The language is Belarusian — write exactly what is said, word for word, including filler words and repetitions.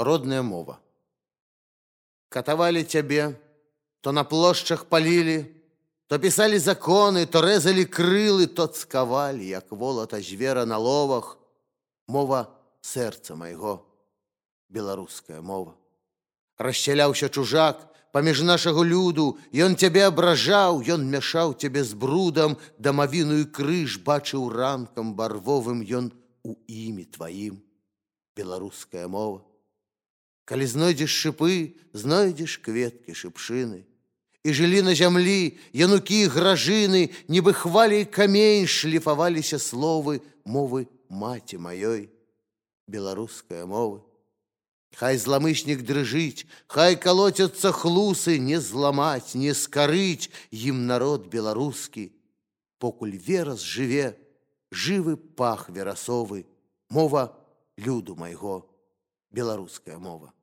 Родная мова. Катавалі цябе, то на плошчах палілі, то пісалі законы, то рэзалі крылы, то цкавалі, як волата звера на ловах. Мова сэрца майго, беларуская мова. Расчаляўся чужак паміж нашага люду, ён цябе абражаў, ён мяшаў цябе з брудам, дамавіную крыж бачыў ранкам барвовым ён у імі тваім, беларуская мова. Калі знойдзеш шыпы, знойдзеш кветкі шыпшыны. І жылі на зямлі янукі гражыны, нібы хваляй камень шліфаваліся словы мовы маці маёй, беларуская мова. Хай зламыснік дрыжыць, хай калоцяцца хлусы, не зламаць, не скарыць ім народ беларускі. Покуль верас жыве, жывы пах верасовы, мова люду майго, беларуская мова.